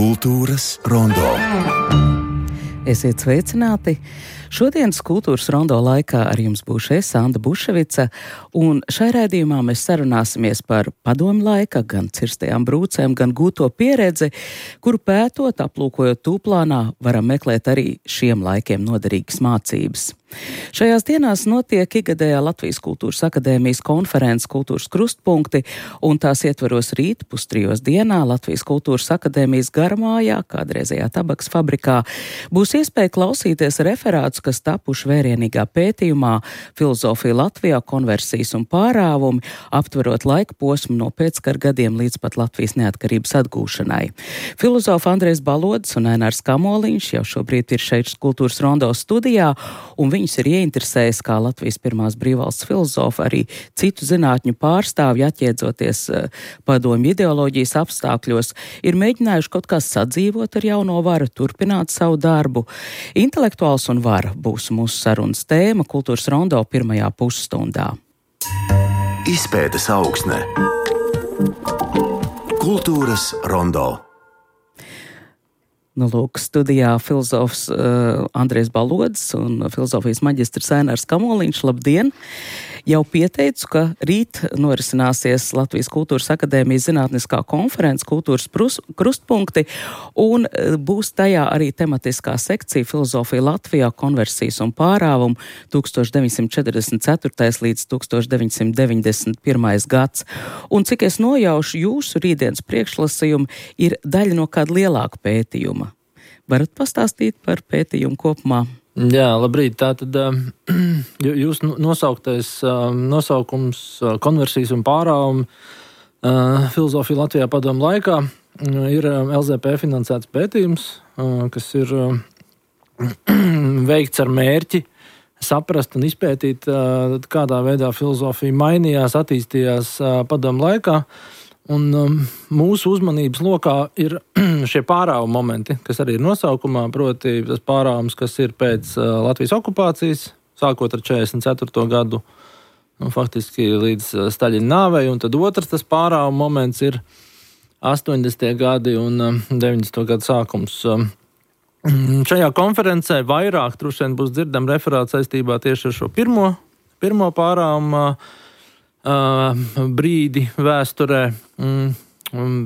Kultūras rondo. Esiet sveicināti! Šodienas kultūras rondo laikā ar jums būšu es, Anda Buševica, un šai raidījumā mēs sarunāsimies par padomu laika, gan cirstajām brūcēm, gan gūto pieredzi, kuru pētot, aplūkojot tūplānā, varam meklēt arī šiem laikiem noderīgas mācības. Šajās dienās notiek ikgadējā Latvijas Kultūras akadēmijas konferences Kultūras krustpunkti, un tās ietveros rīt pustrijos dienā Latvijas Kultūras akadēmijas garamājā, kādreizējā tabaks fabrikā, būs iespēja klausīties referātus, kas tapuši vērienīgā pētījumā Filozofija Latvijā, konversijas un pārāvumi, aptverot laika posmu no pēckara gadiem līdz pat Latvijas neatkarības atgūšanai. Filozofi Andrejs Balodis un Ainārs Kamoliņš jau šobrīd ir šeit kultūras rondo studijā, un viņus ir ieinteresējis, kā Latvijas pirmās brīvvalsts filozofi, arī citu zinātņu pārstāvji, atjēdzoties padomju ideoloģijas apstākļos, ir mēģinājuši kaut kā sadzīvot ar jauno varu, turpināt savu darbu. Intelektuāls un vara būs mūsu sarunas tēma kultūras rondo pirmajā pusstundā. Izpētes augsne. Kultūras rondo. Lūk, studijā filozofs Andrejs Balodis un filozofijas maģistrs Ainārs Kamoliņš. Labdien! Jau pieteicu, ka rīt norisināsies Latvijas Kultūras akadēmijas zinātniskā konference Kultūras krustpunkti, un būs tajā arī tematiskā sekcija Filozofija Latvijā, konversijas un pārāvumi 1944. līdz 1991. gads. Un cik es nojaušu, jūsu rītdienas priekšlasījumi ir daļa no kāda lielāka pētījuma. Varat pastāstīt par pētījumu kopumā? Jā, labrīt. Tātad jūs nosauktais nosaukums konversijas un pārāvumi Filozofija Latvijā padomu laikā ir LZP finansēts pētījums, kas ir veikts ar mērķi saprast un izpētīt, kādā veidā filozofija mainījās, attīstījās padomu laikā. Un mūsu uzmanības lokā ir šie pārāvuma momenti, kas arī ir nosaukumā, proti tas pārāvums, kas ir pēc Latvijas okupācijas, sākot ar 44. gadu, faktiski līdz Staļina nāvei, un tad otrs tas pārāvuma moments ir 80. gadi un 90. gadu sākums. Šajā konferencē vairāk droši vien būs dzirdam referāts saistībā tieši ar šo pirmo pārāvumu brīdi vēsturē,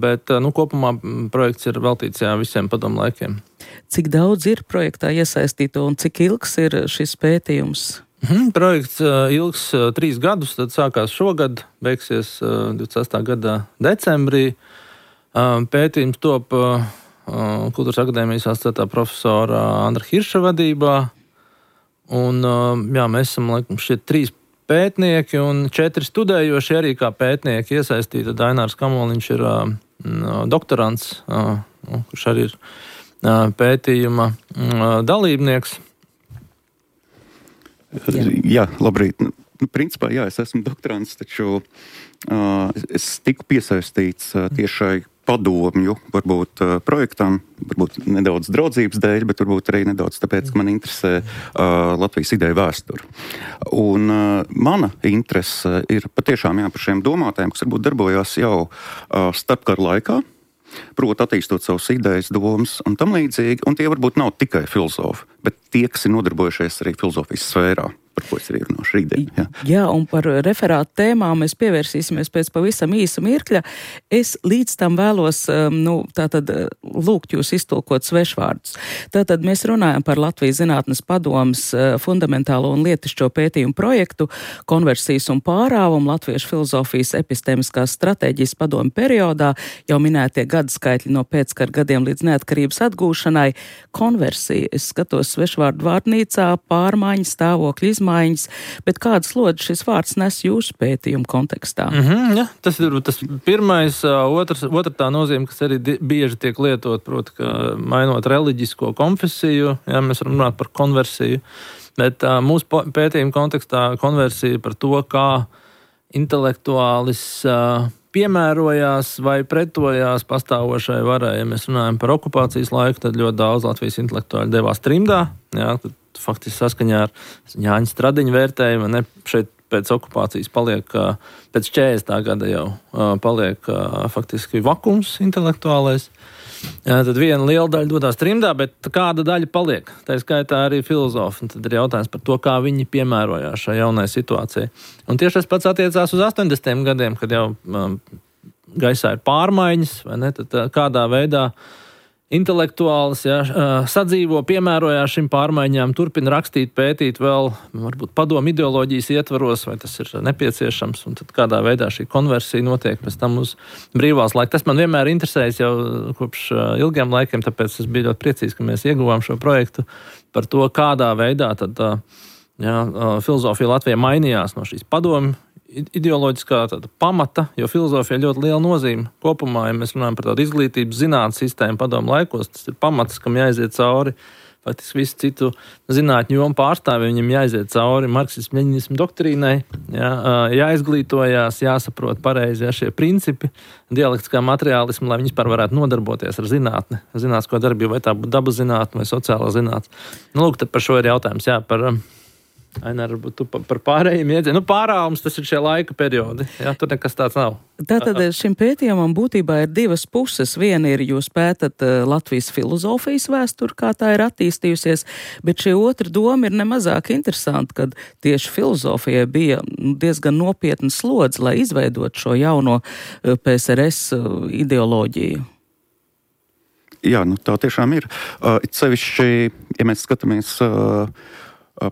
bet kopumā projekts ir veltīts visiem padomu laikiem. Cik daudz ir projektā iesaistīto un cik ilgs ir šis pētījums? Projekts ilgs 3 gadus, tad sākās šogad, beigsies 26. gada decembrī. Pētījums top Kultūras akadēmijas asociētā profesora Andra Hirša vadībā, un mēs esam laikam šie 3 pētnieki un 4 studējoši arī kā pētnieki iesaistīti. Ainārs Kamoliņš ir doktorants, kurš arī ir pētījuma dalībnieks. Jā, labrīt. Principā, es esmu doktorants, taču es tiku piesaistīts tiešai padomju, varbūt projektam, varbūt nedaudz draudzības dēļ, bet varbūt arī nedaudz tāpēc, ka man interesē Latvijas ideja vēsture. Un mana interese ir patiešām par šiem domātājiem, kas varbūt darbojās jau starpkara laikā, proti attīstot savus idejas, domas un tam līdzīgi, un tie varbūt nav tikai filozofi, bet tie, kas ir nodarbojušies arī filozofijas sfērā, par ko es arī runāšu rītdien. Jā, un par referātu tēmām mēs pievērsīsimies pēc pavisam īsa mirkļa. Es līdz tam vēlos lūgt jūs iztulkot svešvārdus. Tātad mēs runājam par Latvijas zinātnes padomes fundamentālo un lietišķo pētījumu projektu konversijas un pārāvumu Latviešu filozofijas epistēmiskās stratēģijas padomu periodā, jau minētie gadskaitļi no pēckara gadiem līdz neatkarības atgūšanai. Konversija, es skatos svešvārdu vārnīcā, pārmaiņas, stāvokļi, izmaiņas, bet kādas lodas šis vārds nes jūsu pētījumu kontekstā? Tas ir tas pirmais, otra tā nozīme, kas arī bieži tiek lietot, proti, ka mainot reliģisko konfesiju, mēs varam runāt par konversiju, bet mūsu pētījuma kontekstā konversija par to, kā intelektuālis piemērojās vai pretojās pastāvošai varai. Ja mēs runājam par okupācijas laiku, tad ļoti daudz Latvijas intelektuāļi devās trimdā, tad faktiski saskaņā ar Jāņa Stradiņa vērtējumu, šeit pēc okupācijas paliek, pēc 40. gada jau paliek faktiski vakums intelektuālais. Tad viena liela daļa dodās trimdā, bet kāda daļa paliek? Tā skaitā arī filozofi. Tad ir jautājums par to, kā viņi piemērojās šai jaunai situācijai. Un tieši tas pats attiecās uz 80. gadiem, kad jau gaisā ir pārmaiņas, vai ne? Tad kādā veidā intelektuāls sadzīvo, piemērojās šim pārmaiņām, turpina rakstīt, pētīt vēl, varbūt padomu ideoloģijas ietvaros, vai tas ir nepieciešams, un tad kādā veidā šī konversija notiek pēc tam uz brīvās laika. Tas man vienmēr interesējas jau kopš ilgiem laikiem, tāpēc es biju ļoti priecīgs, ka mēs ieguvām šo projektu par to, kādā veidā tad filozofija Latvijā mainījās no šīs padomu ideoloģiskā pamata, jo filozofija ir ļoti liela nozīme. Kopumā, ja mēs runājam par tādu izglītības zinātnes sistēmu padomu laikos, tas ir pamats, kam jāiziet cauri. Faktiski visu citu zinātņu jomu pārstāvi, viņam jāiziet cauri marksismu, leņinismu doktrīnai, jāizglītojās, jāsaprot pareizi šie principi, dialektiskā materiālismu, lai viņi vispār varētu nodarboties ar zinātni, zinātnisko darbību, vai tā būtu dabas zinātne vai sociālā zinātne. Lūk, tad par šo ir jautājums, par Ainār, varbūt tu par pārējiem iedzieniem. Pārāvums, tas ir šie laika periodi. Tur nekas tāds nav. Tātad šim pētījumam būtībā ir divas puses. Viena ir, jūs pētat Latvijas filozofijas vēsturi, kā tā ir attīstījusies, bet šī otra doma ir nemazāk interesanta, kad tieši filozofijai bija diezgan nopietna slodze, lai izveidot šo jauno PSRS ideoloģiju. Jā, tā tiešām ir. It sevišķi, ja mēs skatāmies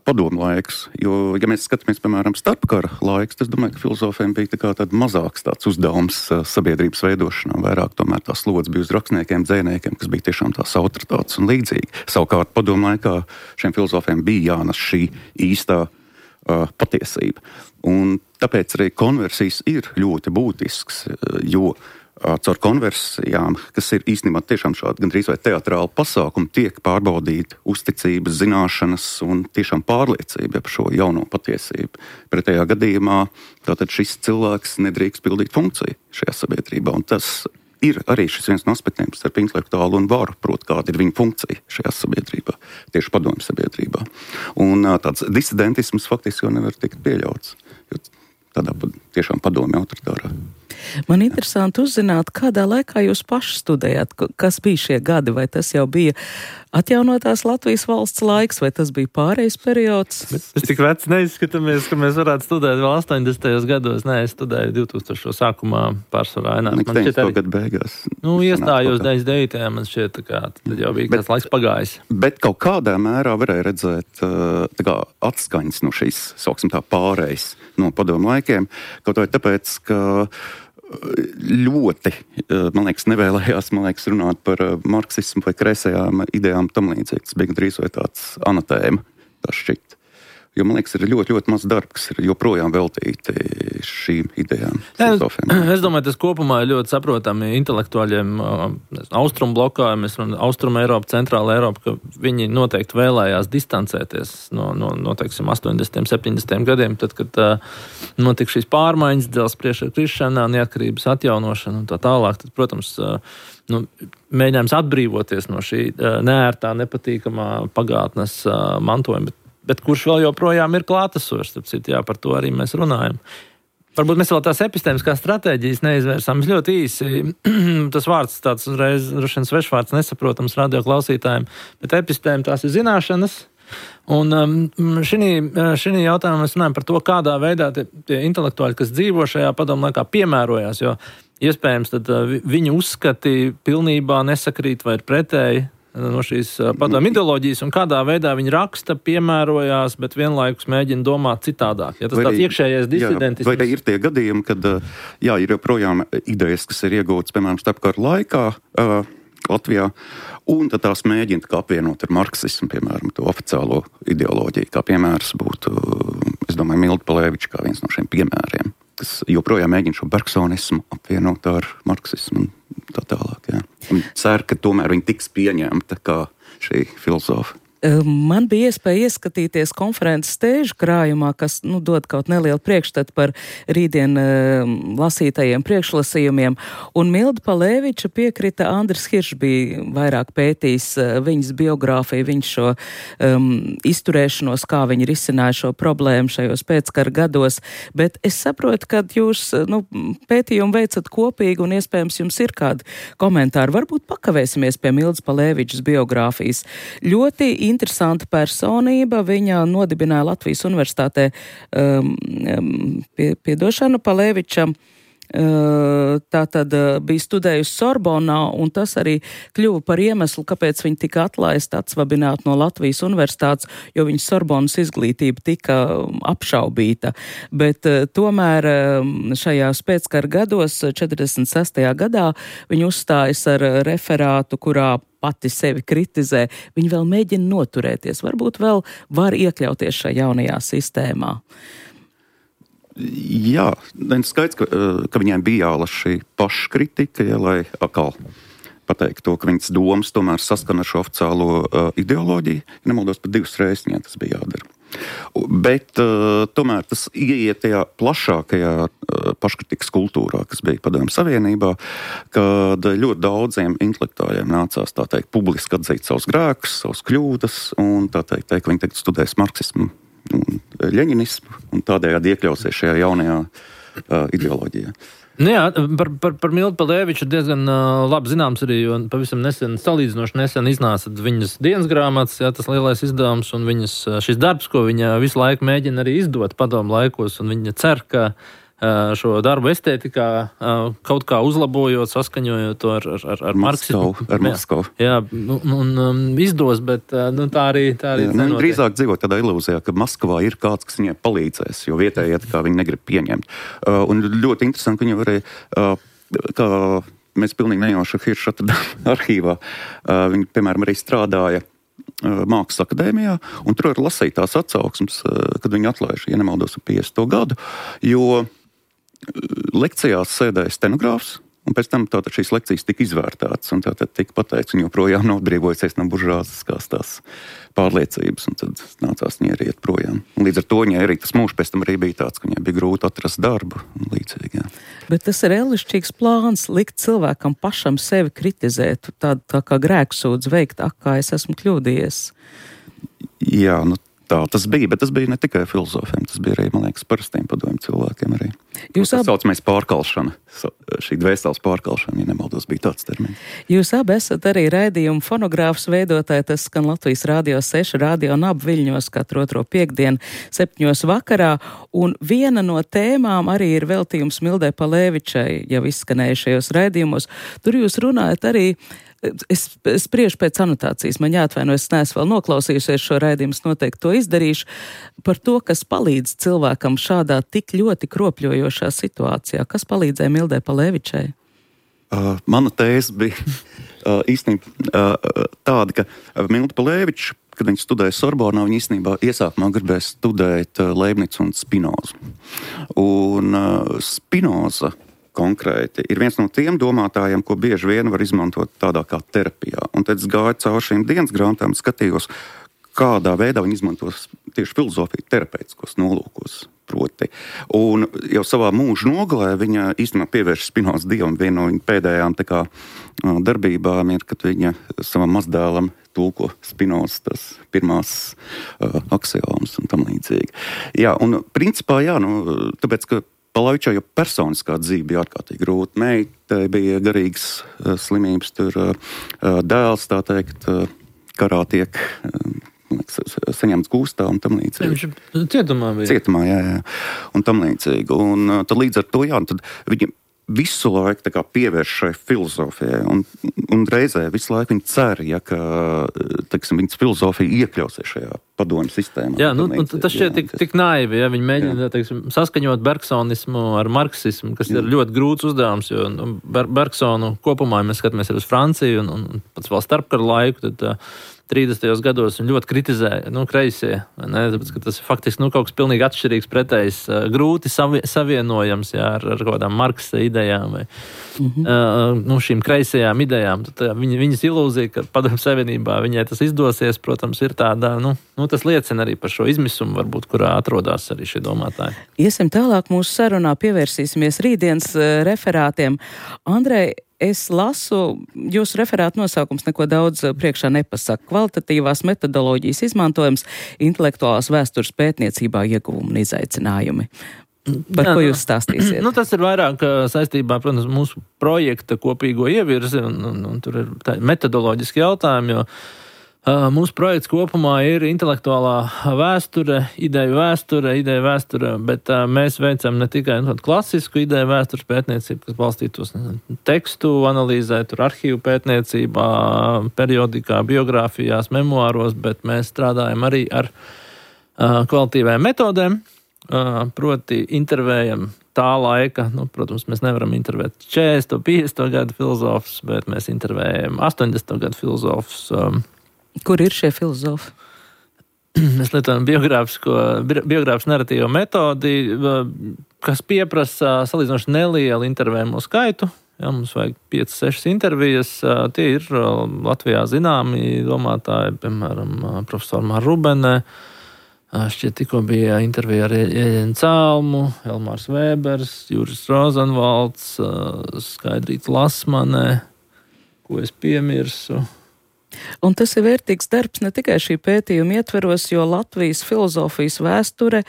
padomu laiks, jo, ja mēs skatāmies, piemēram, starpkara laiks, es domāju, ka filozofiem bija tāds mazāks tāds uzdevums sabiedrības veidošanā, vairāk tomēr tā slodze bija uz rakstniekiem, dzejniekiem, kas bija tiešām tās autoritātes un līdzīgi. Savukārt padomu laikā šiem filozofiem bija jānes šī īstā patiesība. Un tāpēc arī konversijas ir ļoti būtisks, jo caur konversijām, kas ir īstenībā tiešām šādi gandrīz vai teatrāli pasākumi, tiek pārbaudīti uzticības, zināšanas un tiešām pārliecība par šo jauno patiesību. Pretējā gadījumā tātad šis cilvēks nedrīkst pildīt funkciju šajā sabiedrībā, un tas ir arī šis viens no aspektiem starp intelektuālu un varu, proti, kāda ir viņa funkcija šajā sabiedrībā, tieši padomju sabiedrībā. Un tāds disidentisms faktiski jau nevar tikt pieļauts, jo tādā tiešām padomju autoritārā. Man interesanti uzzināt, kādā laikā jūs paši studējāt, kas bija šie gadi, vai tas jau bija atjaunotās Latvijas valsts laiks, vai tas bija pārejas periods? Es tik vecs neizskatāmies, ka mēs varētu studēt vēl 80. gados. Nē, es studēju 2000. sākumā pārsvarā. Man šķiet arī gadu beigās. Iestājos 99. man šķiet, tad jau bija kāds laiks pagājis. Bet kaut kādā mērā varēja redzēt atskaņas no šīs, sauksim tā, pārejas no padomu laikiem, kaut vai tāpēc, ka ļoti, man liekas, nevēlējās, runāt par marksismu vai kreisajām idejām tam līdzīgi. Tas bija drīz vai tāds anatēma, tā šķiet. Jo, man liekas, ir ļoti, ļoti maz darba, kas ir joprojām veltīti šīm idejām. Es domāju, tas kopumā ir ļoti saprotami intelektuāļiem austrumu blokā, mēs runājam austrumu Eiropu, centrāla Eiropa, ka viņi noteikti vēlējās distancēties no teiksim, 80. 70. gadiem, tad, kad notika šīs pārmaiņas, dzelzs priekšā krišanā, neatkarības atjaunošana un tā tālāk, tad, protams, mēģinājums atbrīvoties no šī neērtā, nepatīkamā pagātnes mantojuma, bet kurš vēl joprojām ir klātesošs, par to arī mēs runājam. Varbūt mēs vēl tās epistēmiskās stratēģijas neizvērsām. Ļoti īsi, tas vārds tāds uzreiz droši vien svešvārds nesaprotams radio klausītājiem, bet epistēmi tās ir zināšanas. Un šī jautājumā mēs runājam par to, kādā veidā tie intelektuāļi, kas dzīvo šajā padomu laikā, piemērojās, jo iespējams tad viņu uzskati pilnībā nesakrīt vai ir pretēji no šīs padomu ideoloģijas, un kādā veidā viņi raksta, piemērojās, bet vienlaikus mēģina domāt citādāk. Ja tas tāds iekšējais disidentisms. Vai ir tie gadījumi, kad ir joprojām idejas, kas ir iegūtas, piemēram, starpkara laikā Latvijā, un tad tās mēģina apvienot ar marksismu, piemēram, to oficiālo ideoloģiju, kā piemērs būtu, es domāju, Milda Palēviča kā viens no šiem piemēriem, kas joprojām mēģina šo bergsonismu apvienot ar marksismu un tā tālāk. Jā. Un cer, ka tomēr viņi tiks pieņemta kā šī filozofa. Man bija iespēja ieskatīties konferences stēžu krājumā, kas dod kaut nelielu priekšstatu par rītdien lasītajiem priekšlasījumiem, un Milda Palēviča piekrita, Andris Hiršs bija vairāk pētījis viņas biogrāfiju, viņš šo izturēšanos, kā viņi risināja šo problēmu šajos pēckara gados, bet es saprotu, ka jūs pētījumu veicat kopīgi un iespējams jums ir kādi komentāri. Varbūt pakavēsimies pie Mildas Palēvičas biogrāfijas. Ļoti interesanta personība. Viņa nodibināja Latvijas universitātē piedošanu Palēviča. Tātad bija studējusi Sorbonā, un tas arī kļuva par iemeslu, kāpēc viņa tika atlaista, atsvabināta no Latvijas universitātes, jo viņas Sorbonas izglītība tika apšaubīta. Bet tomēr šajās pēckara gados, 46. gadā, viņa uzstājas ar referātu, kurā pati sevi kritizē, viņa vēl mēģina noturēties, varbūt vēl var iekļauties šajā jaunajā sistēmā. Jā, skaidrs, ka viņai bija jālas šī paškritika, lai atkal pateikt to, ka viņas domas tomēr saskana ar šo oficiālo ideoloģiju. Ja nemaldos, pat 2 reizes viņai tas bija jādara. Bet tomēr tas ieiet tajā plašākajā paškritikas kultūrā, kas bija Padomju Savienībā, kad ļoti daudziem intelektuāļiem nācās, tā teikt, publiski atzīt savus grēkus, savus kļūdas, un tā teikt, ka viņi tagad studēs marksismu un ļeņinismu, un tādējādi iekļausies šajā jaunajā ideoloģijā. Jā, par Mildu Palēviču diezgan labi zināms arī, jo pavisam salīdzinoši nesen iznāca viņas dienas grāmatas, tas lielais izdevums, un viņas šis darbs, ko viņa visu laiku mēģina arī izdot padomu laikos, un viņa cer, ka šo darbu estētikā kaut kā uzlabojot, saskaņojot to ar marksismu. Ar Moskavu. Jā, un izdos, bet tā arī nenotiek. Drīzāk dzīvo tādā ilūzijā, ka Maskavā ir kāds, kas viņai palīdzēs, jo vietējie kā viņi negrib pieņemt. Un ļoti interesanti, ka viņi varēja, kā mēs pilnīgi nejauši Hirša atradām arhīvā, viņi, piemēram, arī strādāja Mākslas akadēmijā, un tur var lasīt tās atsauksmes, kad viņi atlaiž, ja nemaldos, 50. gadu, jo lekcijās sēdēja stenogrāfs, un pēc tam tātad šīs lekcijas tika izvērtātas, un tātad tika pateikts, un joprojām nav atbrīvojusies no buržāziskās tās pārliecības, un tad nācās viņai arī iet projām. Un līdz ar to viņai arī tas mūžs pēc tam arī bija tāds, ka viņai bija grūti atrast darbu un līdzīgi. Jā. Bet tas ir elišķīgs plāns likt cilvēkam pašam sevi kritizēt, tā kā grēksūdz veikt, kā es esmu kļūdījies. Jā, tā tas bija, bet tas bija ne tikai filozofiem, tas bija arī, man liekas, parastiem padomju cilvēkiem arī. Tas saucamais pārkalšana, šī dvēseles pārkalšana, ja nemaldos, bija tāds termins. Jūs abi esat arī raidījumu fonogrāfs veidotāji, tas skan Latvijas Radio 6, Radio NAB Viļņos katru otro piekdienu 7 vakarā, un viena no tēmām arī ir veltījums Mildai Palēvičai, jau izskanējušajos raidījumos. Tur jūs runājat arī. Es spriežu pēc anotācijas, man jāatvaino, es neesmu vēl noklausījusies šo raidījumu, es noteikti to izdarīšu, par to, kas palīdz cilvēkam šādā tik ļoti kropļojošā situācijā. Kas palīdzēja Mildai Palēvičai? Mana tēze bija īstenībā tāda, ka Milda Palēviča, kad viņa studēja Sorbonā, viņa īstenībā iesākumā gribēja studēt Leibnicu un Spinozu. Un Spinoza konkrēti ir viens no tiem domātājiem, ko bieži vien var izmantot tādā kā terapijā. Un tad es gāju caur šīm dienas grāmatām, skatījos, kādā veidā viņi izmantos tieši filozofiju terapeitiskos nolūkos proti. Un jau savā mūža nogalē viņa īstenībā pievērš Spinozas dievam. Viena no viņa pēdējām tā kā darbībām ir, kad viņa savam mazdēlam tulko Spinozas tas pirmās aksiomas un tam līdzīgi. Jā, un principā jā, tāpēc, ka Palēvičai jau personiskā dzīve bija ārkārtīgi grūta. Meitai bija garīgas slimības, tur dēls, tā teikt, karā tiek saņemts gūstā un tam līdzīgi. Viņš cietumā bija. Cietumā, jā. Un tam līdzīgi. Un tad līdz ar to, jā, tad viņa visu laiku tā kā pievērš šai filozofijai. Un reizē visu laiku viņa cer, ja, ka, teiksim, viņas filozofija iekļausies šajā padomju sistēmā. Jā, tas šķiet tik naivi, ja viņi mēģina, teiksim, saskaņot bergsonismu ar marksismu, kas ir ļoti grūts uzdevums, jo Bergsonu kopumā, ja mēs skatāmies arī uz Franciju un pats vēl starpkaru laiku, tad 30. gados viņi ļoti kritizēja, kreisie, ne, tāpēc, ka tas ir faktiski, kaut kas pilnīgi atšķirīgs pretējs, grūti savienojams, ar kādām Marksa idejām vai, šīm kreisajām idejām. Tad viņas ilūzija, ka Padomju Savienībā viņai tas izdosies, protams, ir tāda, tas liecina arī par šo izmisumu, varbūt, kurā atrodas arī šie domātāji. Iesim tālāk mūsu sarunā, pievērsīsimies rītdienas referātiem. Andrej, es lasu, jūsu referāta nosaukums neko daudz priekšā nepasaka. Kvalitatīvās metodoloģijas izmantojums intelektuālās vēstures pētniecībā ieguvumi un izaicinājumi. Par ko jūs stāstīsiet? Tas ir vairāk saistībā, protams, mūsu projekta kopīgo ievirzi, un tur ir metodoloģiski jautājumi, jo mūsu projekts kopumā ir intelektuālā vēsture, ideju vēsture, bet mēs veicam ne tikai klasisku ideju vēstures pētniecību, kas balstītos tekstu analīzē, tur arhīvu pētniecībā, periodikā, biogrāfijās, memoāros, bet mēs strādājam arī ar kvalitīvām metodēm, proti intervējam tā laika, protams, mēs nevaram intervēt 40. 50. gadu filozofus, bet mēs intervējam 80. gadu filozofus. Kur ir šie filozofi? Mēs lietojam biogrāfisku narratīvo metodi, kas pieprasa salīdzinoši nelielu intervējumu skaitu. Jā, mums vajag 5-6 intervijas. Tie ir Latvijā zināmi domātāji, piemēram, profesori Māra Rubene. Šķiet, tikko bija intervija ar Ieļenu Cēlmu, Elmārs Vēbers, Juris Rozenvalds, Skaidrīta Lasmane, ko es piemirsu. Un tas ir vērtīgs darbs ne tikai šī pētījuma ietveros, jo Latvijas filozofijas vēsture,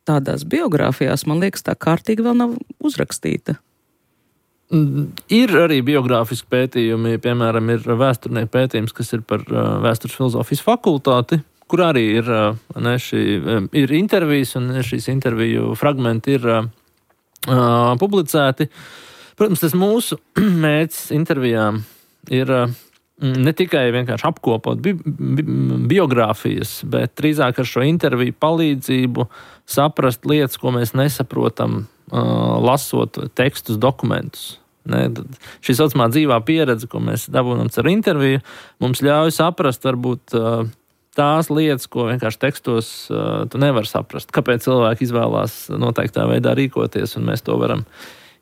tādās biogrāfijās, man liekas, tā kārtīgi vēl nav uzrakstīta. Ir arī biogrāfiski pētījumi, piemēram, ir vēsturnieku pētījums, kas ir par vēstures filozofijas fakultāti, kur arī ir intervijas, un šīs interviju fragmenti ir publicēti. Protams, tas mūsu mērķis intervijām ir ne tikai vienkārši apkopot biogrāfijas, bet drīzāk ar šo interviju palīdzību saprast lietas, ko mēs nesaprotam, lasot tekstus, dokumentus. Šī saucamā dzīvā pieredze, ko mēs dabūnam ar interviju, mums ļauj saprast varbūt tās lietas, ko vienkārši tekstos tu nevar saprast. Kāpēc cilvēki izvēlās noteiktā veidā rīkoties, un mēs to varam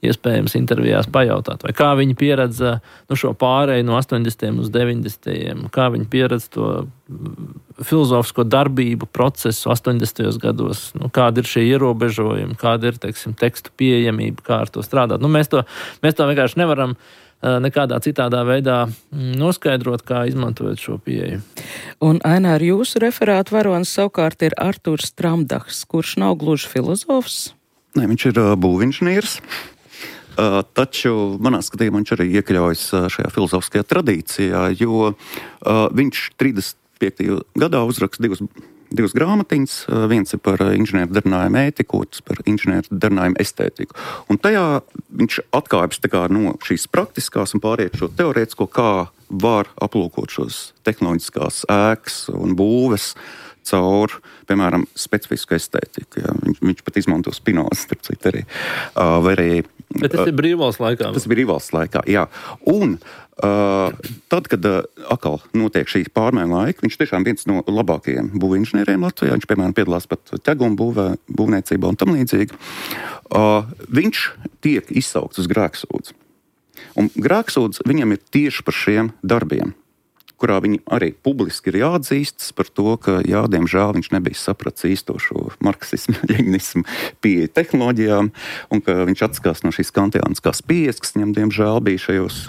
iespējams intervijās pajautāt, vai kā viņi pieredza šo pārēju no 80. uz 90. Kā viņi pieredza to filozofisko darbību procesu 80. gados, kāda ir šie ierobežojumi, kāda ir, tekstu pieejamība, kā ar to strādāt. Mēs to vienkārši nevaram nekādā citādā veidā noskaidrot, kā izmantojot šo pieeju. Un, Ainār, jūsu referāta varonis savukārt ir Artūrs Tramdahs, kurš nav gluži filozofs? Nē, viņš ir būvinženieris. Taču manā skatījumā viņš arī iekļaujas šajā filozofiskajā tradīcijā, jo viņš 35. gadā uzraksta divas grāmatiņas. Viens ir par inženieru darinājumu ētiku, otrs par inženieru darinājumu estētiku. Un tajā viņš atkāpjas no šīs praktiskās un pāriet šo teorētisko, kā var aplūkot šos tehnoloģiskās ēkas un būves caur, piemēram, specifisku estētiku. Ja. Viņš pat izmanto Spinozu, starp citu arī. Bet tas ir brīvvalsts laikā. Tas ir brīvvalsts laikā, jā. Un tad, kad atkal notiek šī pārmaiņu laika, viņš tiešām viens no labākajiem būvinženieriem Latvijā. Viņš, piemēram, piedalās pat ķeguma būvniecībā un tam līdzīgi. Viņš tiek izsaukts uz grēksūdzi. Un grēksūdzi viņam ir tieši par šiem darbiem, kurā viņi arī publiski ir jāatzīstas par to, ka, diemžēl viņš nebija sapratis īsto šo marksismu, ļeņinismu pieeja tehnoloģijām, un ka viņš atskās no šīs kantiāniskās pieejas, kas viņam, diemžēl, bija šajos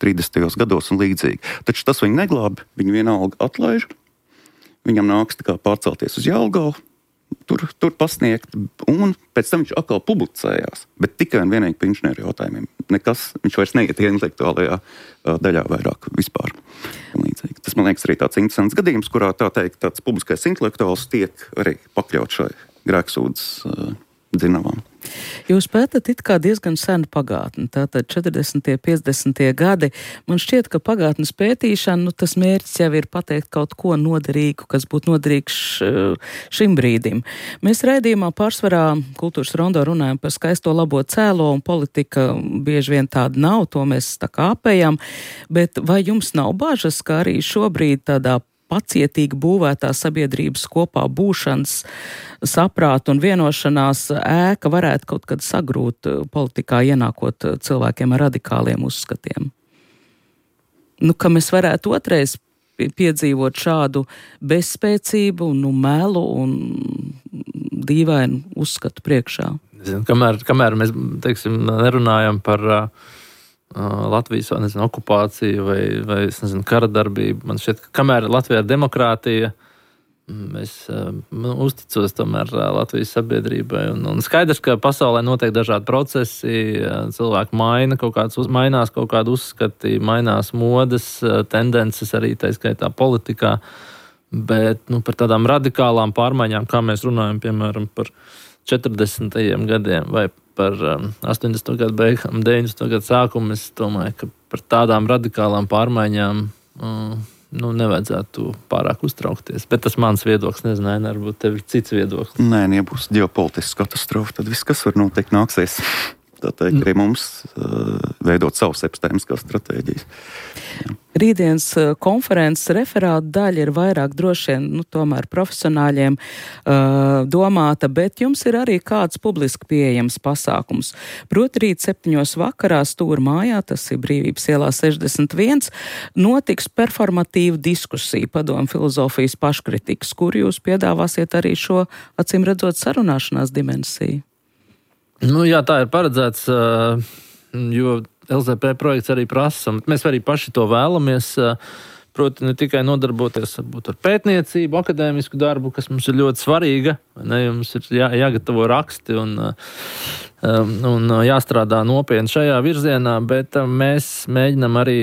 30. gados un līdzīgi. Taču tas viņu neglābi, viņu vienalga atlaiž, viņam nāks pārcelties uz Jelgavu, tur pasniegt, un pēc tam viņš atkal publicējās, bet tikai un vienīgi par inženieru jautājumiem. Viņš vairs neiet intelektuālajā daļā vairāk vispār. Tas, man liekas, arī tāds interesants gadījums, kurā tāds publiskais intelektuāls tiek arī pakļaut šai grēksūdzes dzinavām. Jūs pētat it kā diezgan senu pagātni, tātad 40. 50. gadi. Man šķiet, ka pagātnes pētīšana, tas mērķis jau ir pateikt kaut ko noderīgu, kas būtu noderīgs šim brīdim. Mēs raidījumā pārsvarā Kultūras rondo runājam par skaisto labo cēlo, un politika bieži vien tāda nav, to mēs tā kā apējam, bet vai jums nav bažas, ka arī šobrīd tādā pacietīgi būvētā sabiedrības kopā būšanas saprāta un vienošanās ēka varētu kaut kad sagrūt politikā, ienākot cilvēkiem ar radikāliem uzskatiem? Ka mēs varētu otrais piedzīvot šādu bezspēcību, melu un dīvainu uzskatu priekšā. Kamēr mēs, nerunājam par Latvijas okupāciju vai kara darbību. Man šķiet, ka kamēr Latvijā ir demokrātija, es uzticos tomēr Latvijas sabiedrībai. Un skaidrs, ka pasaulē notiek dažādi procesi, cilvēki mainās kaut kādi uzskati, mainās modes, tendences arī tā skaitā politikā, bet par tādām radikālām pārmaiņām, kā mēs runājam, piemēram, par 40. gadiem vai par 80. gadu beigām, 90. gadu sākumu, es domāju, ka par tādām radikālām pārmaiņām nevajadzētu pārāk uztraukties. Bet tas mans viedoklis, nezinu, varbūt tev ir cits viedoklis. Nē, ja būs ģeopolitiska katastrofa, tad viss, kas var notikt, nāksies. Tā teikt, arī mums veidot savas epistēmiskās stratēģijas. Jā. Rītdienas konferences referāta daļa ir vairāk droši vien, tomēr profesionāļiem domāta, bet jums ir arī kāds publiski pieejams pasākums. Proti rīt 7. vakarā Stūra mājā, tas ir Brīvības ielā 61, notiks performatīva diskusija padomu filozofijas paškritikas, kur jūs piedāvāsiet arī šo, acīm redzot, sarunāšanās dimensiju. Jā, tā ir paredzēts, jo LZP projekts arī prasa. Mēs arī paši to vēlamies, proti ne tikai nodarboties varbūt ar pētniecību, akadēmisku darbu, kas mums ir ļoti svarīga. Mums ir jāgatavo raksti un jāstrādā nopietni šajā virzienā, bet mēs mēģinam arī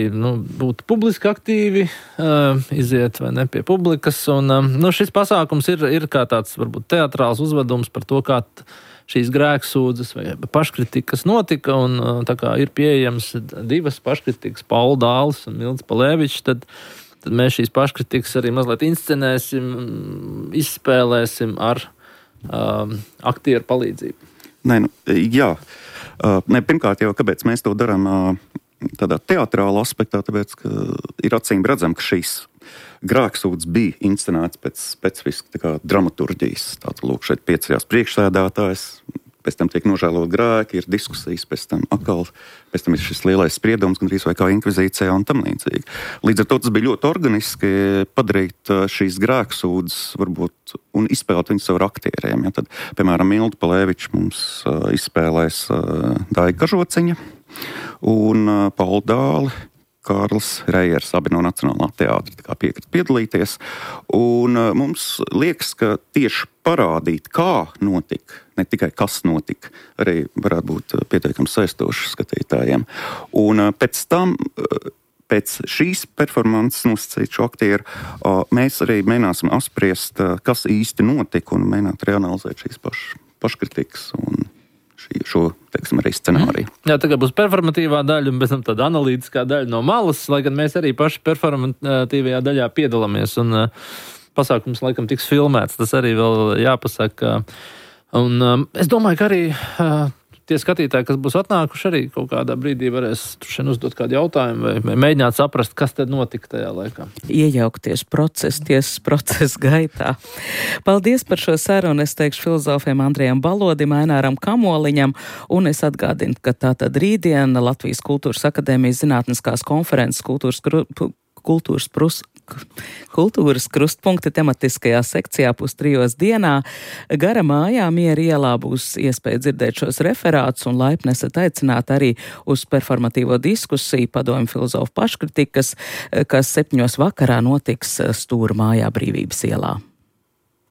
būt publiski aktīvi, iziet pie publikas. Un šis pasākums ir kā tāds varbūt teatrāls uzvedums par to, kā šīs grēksūdzes vai paškritikas notika, un tā kā ir pieejams 2 paškritikas, Paula Dālis un Milds Palēvičs, tad mēs šīs paškritikas arī mazliet inscenēsim, izspēlēsim ar aktieru palīdzību. Pirmkārt jau, kāpēc mēs to darām tādā teatrālā aspektā, tāpēc, ka ir acīm redzam, ka šīs grēksūdzes bija inscenēts pēc specifiski dramaturģijas. Tātad, lūk, šeit pieceļās priekšsēdētājs, pēc tam tiek nožēlot grēki, ir diskusijas, pēc tam ir šis lielais spriedums, gandrīz vai kā inkvizīcijā un tam līdzīgi. Līdz ar to tas bija ļoti organiski padarīt šīs grēksūdzes varbūt un izspēlēt viņus ar aktieriem. Ja? Tad, piemēram, Milda Palēvičs mums izspēlēs Daiga Kažociņa un Paula Dāli, Kārlis Rejers, abi no Nacionālā teātra piekrita piedalīties. Un mums liekas, ka tieši parādīt, kā notika, ne tikai kas notika, arī varētu būt pietiekami saistoši skatītājiem. Un pēc tam, pēc šīs performances nosacītu aktieru, mēs arī mēģināsim apspriest, kas īsti notika, un mēģināt reanalizēt šīs paškritikas un šo, arī scenāriju. Jā, tagad būs performatīvā daļa un pēc tam tāda analītiskā daļa no malas, lai gan mēs arī paši performatīvajā daļā piedalāmies, un pasākums laikam tiks filmēts, tas arī vēl jāpasaka. Un es domāju, ka arī tie skatītāji, kas būs atnākuši, arī kaut kādā brīdī varēs uzdot kādu jautājumu vai mēģināt saprast, kas tad notika tajā laikā. Iejaukties tiesas procesa gaitā. Paldies par šo sarunu. Es teikšu filozofiem Andrejam Balodim, Aināram Kamoliņam, un es atgādinu, ka tātad rītdien Latvijas Kultūras akadēmijas zinātniskās konferences Kultūras krustpunkti tematiskajā sekcijā 2:30 dienā. Gara mājā Miera ielā būs iespēja dzirdēt šos referātus, un laipni esat aicināti arī uz performatīvo diskusiju padomju filozofu paškritikas, kas 7. vakarā notiks Stūra mājā Brīvības ielā.